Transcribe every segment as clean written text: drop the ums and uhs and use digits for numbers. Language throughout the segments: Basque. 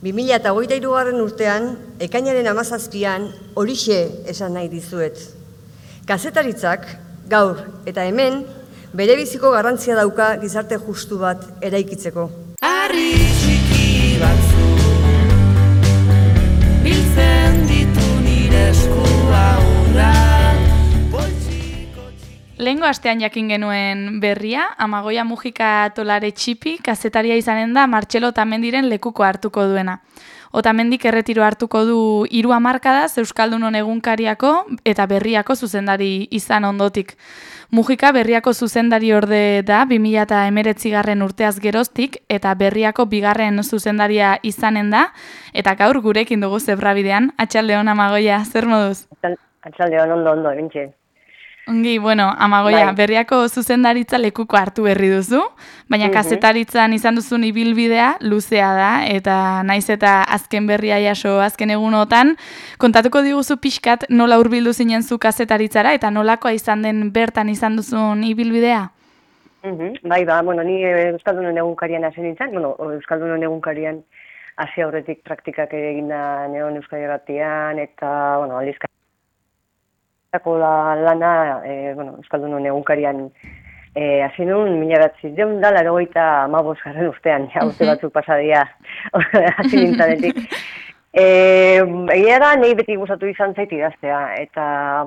2023 urtean, ekainaren 17an, horixe esan nahi dizuet. Kazetaritzak, gaur eta hemen, berebiziko garrantzia dauka gizarte justu bat eraikitzeko. Harri txiki batzu biltzen ditu nire eskua urrak. Lehengo astean jakin genuen berria, Amagoia Mujika Tolare Txipi kazetaria izanen da Martxelo Otamendiren lekuko hartuko duena. Otamendik erretiro hartuko du 3 hamarkadaz Euskaldunon egunkariako eta berriako zuzendari izan ondotik. Mujika berriako zuzendari orde da 2019 urteaz geroztik eta berriako 2. zuzendaria izanen da, eta gaur gurekin dugu zebrabidean. Atxaldeon, Amagoia, zer moduz? Atxaldeon, ondo, bintxe. Ongi, bueno, Amagoia, berriako zuzendaritza lekuko hartu berri duzu, baina kazetaritzan izan duzun ibilbidea luzea da, eta naiz eta azken berria jaso azken egunotan, kontatuko diguzu pixkat nola hurbildu zinen zu kazetaritzara, eta nolakoa izan den bertan izan duzun ibilbidea? Bai, bueno, ni Euskaldunon egunkarian hasi nintzen, Euskaldunon egunkarian hasi aurretik praktikak eginda neon Euskal Irratian, eta, aldizka lana, Euskaldunon egunkarian hasi nuen, 1985 urtean, urte batzuk pasadia hasi nintzanetik. Egia da, nahi beti gustatu izan zait idaztea, eta,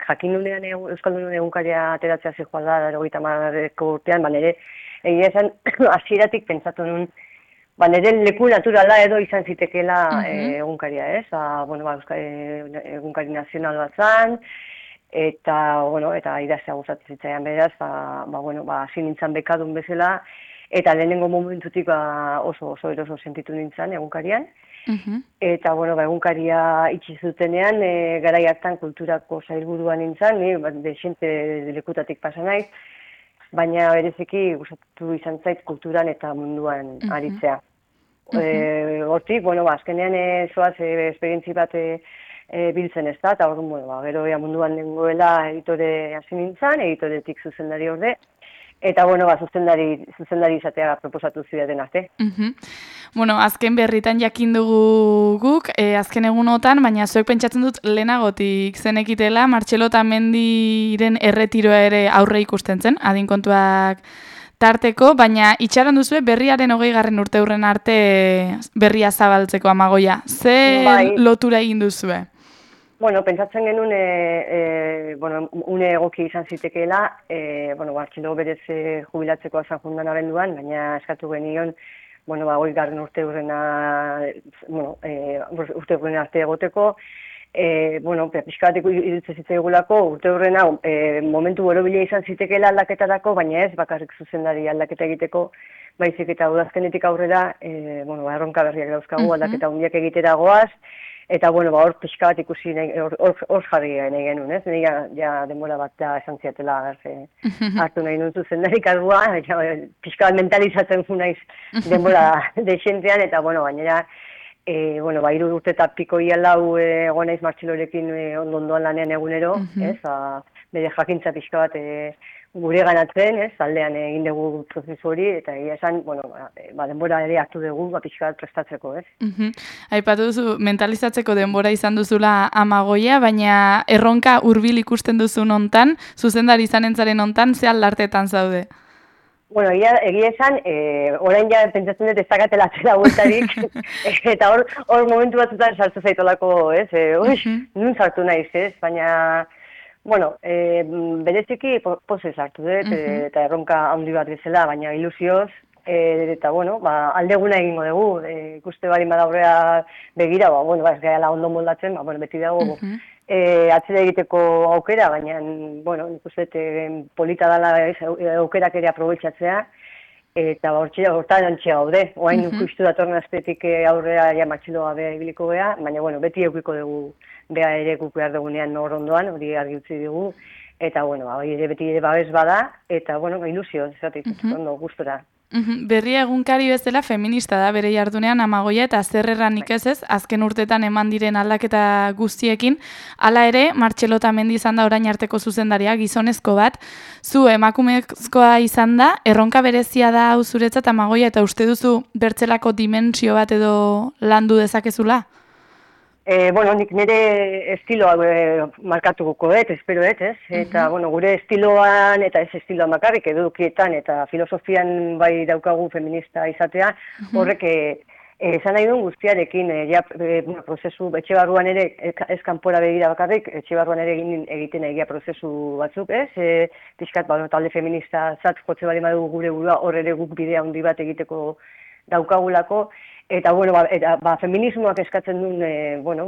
jakin nunean Euskaldunon egunkaria ateratzea zijoa da, 85 urtean, nire egia esan hasieratik pentsatu nuen, nire leku naturala edo izan zitekeela egunkaria, ez? Egunkari nazional bat zan, eta idaztea gustatzen zitzaian beraz, hasi nintzen bekadun bezala, eta lehenengo momentutik oso eroso sentitu nintzen egunkarian. Eta, egunkaria itxi zutenean, garai hartan kulturako sailburuan nintzen, desente lekutatik pasa naiz, baina bereziki gustatu izan zait kulturan eta munduan aritzea. Hortik, azkenean zoaz esperientzi bat biltzen ez da, eta gero munduan nengoela editore hasi nintzen, editoretik zuzendari orde, eta zuzendari izatea proposatu zidaten arte. Azken berritan jakin dugu guk, azken egunotan, baina zuek pentsatzen dut lehenagotik zenekitela, Martxelo Otamendiren erretiroa ere aurre ikusten zen, adin kontuak tarteko, baina itxaron duzue berriaren 20. urteurren arte berria zabaltzeko, Amagoia. Ze lotura egin duzue? Pentsatzen genuen, une egoki izan zitekeela, Martxelo berez jubilatzeko azan jundan abenduan, baina eskatu genion, 20. urteurren arte egoteko, pixka bat iruditzen zitzaigulako urteurrena momentu borobila izan zitekeela aldaketarako, baina ez bakarrik zuzendari aldaketa egiteko, baizik eta udazkenetik aurrera, erronka berriak dauzkagu aldaketa hundiak egitera goaz, eta hor pixka bat ikusi hor jarri nahi genuen, ez? Ja denbora bat da esan ziatela hartu nahi nuen zuzendari kargua, pixka bat mentalizatzen fu naiz denbora desentean, eta gainera, 3 urte eta piko ialau egon naiz Martxelorekin ondoan lanean egunero, ez? Bere jakintza pixka bat gure ganatzen, ez? Aldean egin dugu prozesu hori, eta egia esan, denbora ere hartu dugu, pixka bat prestatzeko, ez? Aipatu duzu, mentalizatzeko denbora izan duzula Amagoia, baina erronka hurbil ikusten duzun hontan, zuzendari izanentzaren hontan, ze aldartetan zaude? Egia esan, orain ja pentsatzen dut ez dakatela atzera bueltarik, eta hor momentu batzutan sartu zaitolako, ez? Nun sartu naiz, ez? Baina, bereziki pozez hartu dut, eta erronka handi bat bezala, baina ilusioz, eta, aldeguna egingo dugu, ikuste barin badaurrea begira, ez gaila ondo moldatzen, beti dago, atzera egiteko aukera, baina, nik uste polita dela aukerak ere aprobetxatzea, eta hortan antxea gaude. Oain ikustu datorren azpetik aurrera Martxelo gabe ibiliko geha, baina beti eukiko dugu beha ere guk behar dugunean hor ondoan, hori argi utzi dugu, eta hori ere beti ere babes bada, eta ilusio, zatik, ondo, gustora. Berria egunkari bezala feminista da bere jardunean Amagoia eta zer erranik ez, azken urtetan eman diren aldaketa guztiekin, hala ere, Martxelo Otamendi izan da orain arteko zuzendaria, gizonezko bat, zu emakumezkoa izan da, erronka berezia da hau zuretzat Amagoia eta uste duzu bertzelako dimensio bat edo landu dezakezula? Nik nire estiloa markatuko espero ez? Eta, gure estiloan, eta ez estiloan bakarrik, edukietan eta filosofian bai daukagu feminista izatea, horrek esan nahi duen guztiarekin, prozesu, etxe barruan ere, ez kanpora begira bakarrik, etxe barruan ere egiten egia prozesu batzuk, ez? Pixkat, talde feminista zat jotze bali madugu gure burua, hor ere guk bidea handi bat egiteko daukagulako, eta, feminismoak eskatzen duen,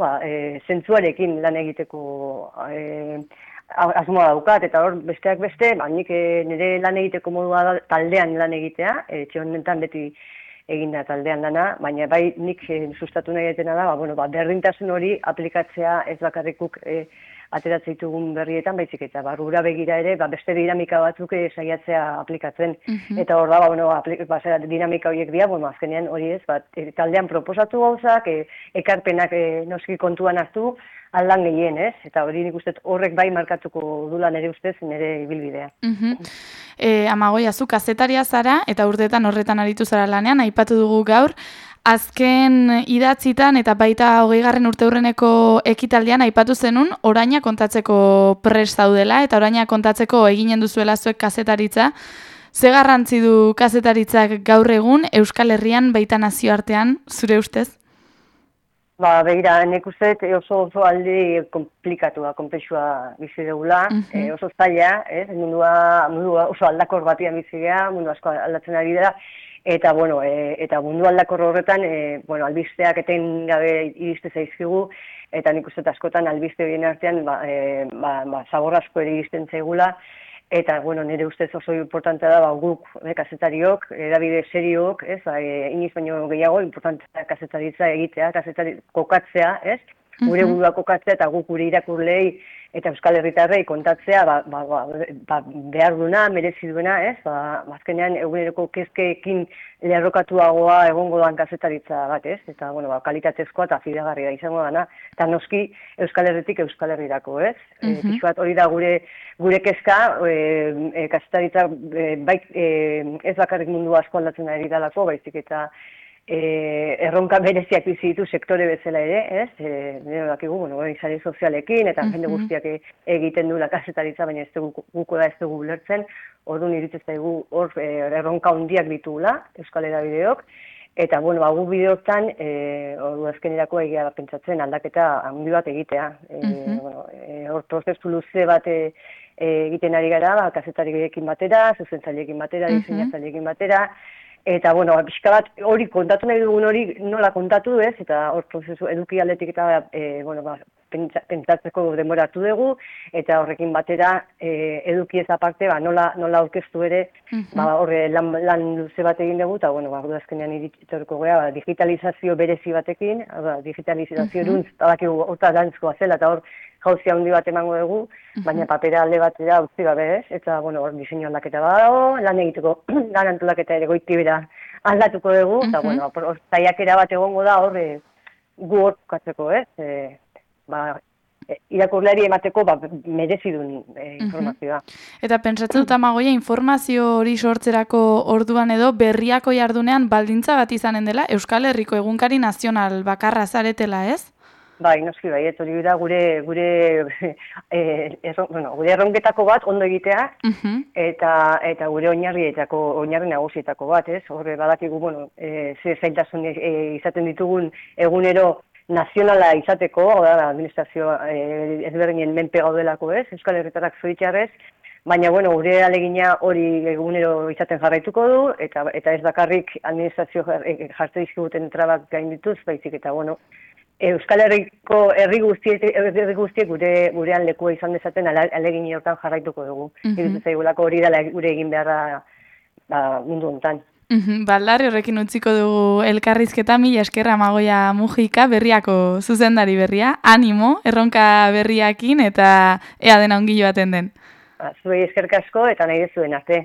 zentzuarekin lan egiteko asmoa daukat, eta hor, besteak beste, nik nire lan egiteko modua da taldean lan egitea, etxe honetan beti eginda taldean lana, baina bai nik sustatu nahi etena da, berdintasun hori aplikatzea ez bakarrikuk ateratzen ditugun berrietan, baizik eta barrura begira ere, beste dinamika batzuk saiatzea aplikatzen. Eta hor da, dinamika horiek dira, azkenean hori ez, taldean proposatu gauzak, ekarpenak noski kontuan hartu, aldan gehien, ez? Eta hori nik uste horrek bai markatuko dula nire ustez, nire ibilbidea. Amagoia, zu kazetaria zara, eta urteetan horretan aritu zara lanean, aipatu dugu gaur, azken idatzitan eta baita 20. urteurreneko ekitaldian aipatu zenun oraina kontatzeko prest zaudela eta oraina kontatzeko eginen duzuela zuek kazetaritza. Ze garrantzi du kazetaritzak gaur egun Euskal Herrian baita nazioartean, zure ustez? Begira, nik uste oso aldi komplikatua, konplexua bizi dugula, oso zaila, mundua oso aldakor batian bizi geha, mundu asko aldatzen ari dira, eta mundu aldakor horretan, albisteak etengabe iriste zaizkigu, eta nik uste askotan albiste horien artean, zabor asko ere iristen zaigula, eta, nire ustez oso importantea da, guk, kazetariok, edabide seriok, iniz baino gehiago, importantea kazetaritza egitea, kokatzea, gure burua kokatzea, eta guk gure irakurlei, eta Euskal Herritarrei kontatzea, behar duna, merezi duena, azkenean eguneroko kezkeekin lerrokatuagoa egongo doan kazetaritza bat, eta, kalitatezkoa eta fidagarria izango dana, eta noski Euskal Herritik Euskal Herrirako, pixuat hori da gure kezka, kazetaritza ez bakarrik mundu asko aldatzen ari dalako, baizik eta erronka bereziak bizi ditu sektore bezala ere, nire dakigu, sare sozialekin, eta jende guztiak egiten duela kazetaritza, baina ez dugu ulertzen, orduan iruditzen zaigu hor erronka handiak ditugula, Euskal Hedabideok, eta, gu bideotan, azkenerako egia pentsatzen aldaketa handi bat egitea. Hor prozesu luze bat egiten ari gara, kazetariekin batera, zuzentzaileekin batera, diseinatzaileekin batera, eta, pixka bat hori kontatu nahi dugun hori nola kontatu ez, eta hor prozesu eduki aldetik eta, pentsatzeko denbora hartu dugu, eta horrekin batera eduki ez aparte, nola aurkeztu ere, horre lan luze bat egin dugu, eta, azkenean iritorko gara, digitalizazio berezi batekin, digitalizazio eruntz, horta dantzkoa zela, eta hor jauzia handi bat emango dugu, baina papera alde batera utzi gabe ez, eta, hor diseinu aldaketa badago, lan egiteko, lan antolaketa ere goitibera aldatuko dugu, eta, zaiakera bat egongo da hor gu hor bukatzeko ez, irakurleari emateko merezi duen informazioa. Eta pentsatzen dut Amagoia informazio hori sortzerako orduan edo berriako jardunean baldintza bat izanen dela Euskal Herriko egunkari nazional bakarra zaretela, ez? Bai, noski bai, hori da gure erronketako bat ondo egitea, eta gure oinarri nagusietako bat, ez? Horre badakigu, ze zailtasun izaten ditugun egunero nazionala izateko, administrazio ezberdinen menpe gaudelako, ez? Euskal Herritarrak zoritxarrez, baina, gure alegina hori egunero izaten jarraituko du, eta ez bakarrik administrazio jartzen dizkiguten trabak gaindituz, baizik eta, Euskal Herriko herri guztiek gurean lekua izan dezaten alegin hortan jarraituko dugu. Iruditzen zaigulako hori dela gure egin beharra mundu honetan. Baldarri horrekin utziko dugu elkarrizketa, mila esker Amagoia Mujika, berriako zuzendari berria, animo, erronka berriakin eta ea dena ongi joaten den. Zuei eskerrik asko eta nahi dezuen arte.